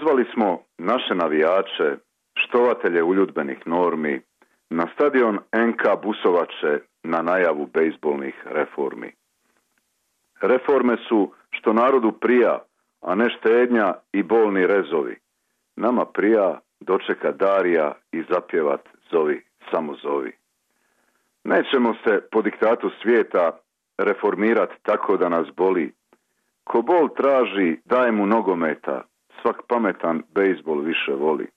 Pozvali smo naše navijače, štovatelje uljudbenih normi, na stadion NK Busovače na najavu bejzbolnih reformi. Reforme su što narodu prija, a ne štednja i bolni rezovi. Nama prija dočeka Darija i zapjevat zovi, samo zovi. Nećemo se po diktatu svijeta reformirat tako da nas boli. Ko bol traži, daj mu nogometa, svak pametan bejzbol više voli.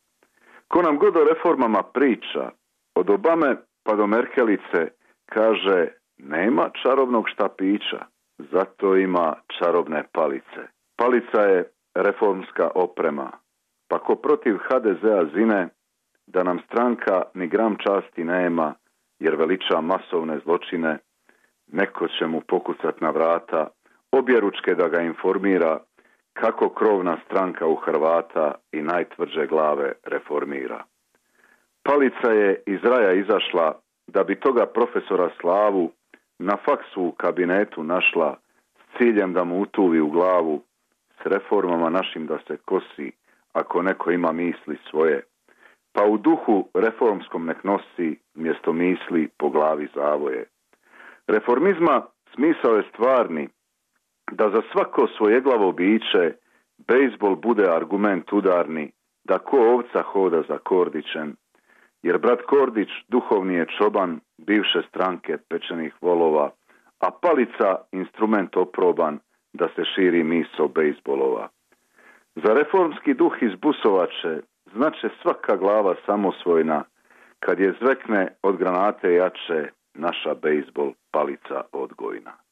Ko nam god o reformama priča, od Obame pa do Merkelice, kaže nema čarobnog štapića, zato ima čarobne palice. Palica je reformska oprema, pa ko protiv HDZ-a zine, da nam stranka ni gram časti nema, jer veliča masovne zločine, neko će mu pokucat na vrata, objeručke da ga informira, kako krovna stranka u Hrvata i najtvrđe glave reformira. Palica je iz raja izašla, da bi toga profesora Slavu na faksu u kabinetu našla, s ciljem da mu utuvi u glavu, s reformama našim da se kosi, ako neko ima misli svoje, pa u duhu reformskom nek nosi mjesto misli po glavi zavoje. Reformizma smisao je stvarni, da za svako svojeglavo biće bejzbol bude argument udarni, da ko ovca hoda za Kordićem, jer brat Kordić duhovni je čoban bivše stranke pečenih volova, a palica instrument oproban da se širi misao bejzbolova. Za reformski duh iz Busovače znače svaka glava samosvojna, kad je zvekne od granate jače naša bejzbol palica odgojna.